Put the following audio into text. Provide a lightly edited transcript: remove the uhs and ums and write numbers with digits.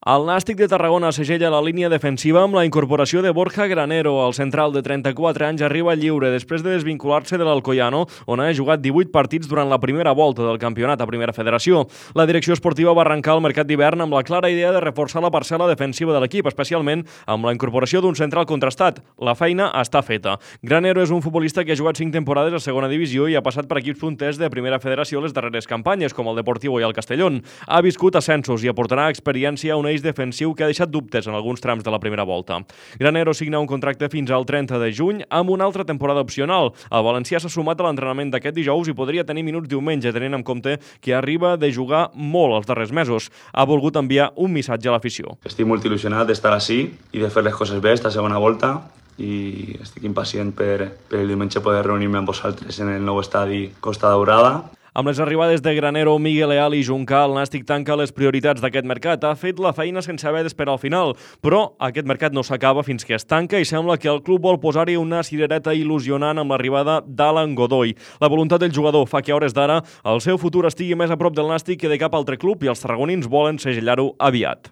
El Nàstic de Tarragona segella la línia defensiva amb la incorporació de Borja Granero. El central de 34 anys arriba lliure després de desvincular-se de l'Alcoyano, on ha jugat 18 partits durant la primera volta del campionat a Primera Federació. La direcció esportiva va arrencar el mercat d'hivern amb la clara idea de reforçar la parcel·la defensiva de l'equip, especialment amb la incorporació d'un central contrastat. La feina està feta. Granero és un futbolista que ha jugat 5 temporades a segona divisió i ha passat per equips punters de Primera Federació les darreres campanyes, com el Deportivo i el Castellón. Ha viscut ascensos i aportarà experiència a un eix defensiu que ha deixat dubtes en alguns trams de la primera volta. Granero signa un contracte fins al 30 de juny amb una altra temporada opcional. El valencià s'ha sumat a l'entrenament d'aquest dijous i podria tenir minuts diumenge, tenint en compte que arriba de jugar molt els darrers mesos. Ha volgut enviar un missatge a l'afició. Estic molt il·lusionat d'estar així i de fer les coses bé esta segona volta i estic impacient per el diumenge poder reunir-me amb vosaltres en el nou estadi Costa Daurada. Amb les arribades de Granero, Miguel Leal i Juncà, el Nàstic tanca les prioritats d'aquest mercat. Ha fet la feina sense haver d'esperar al final, però aquest mercat no s'acaba fins que es tanca i sembla que el club vol posar-hi una cirereta il·lusionant amb l'arribada d'Alan Godoy. La voluntat del jugador fa que a hores d'ara el seu futur estigui més a prop del Nàstic que de cap altre club i els tarragonins volen segellar-ho aviat.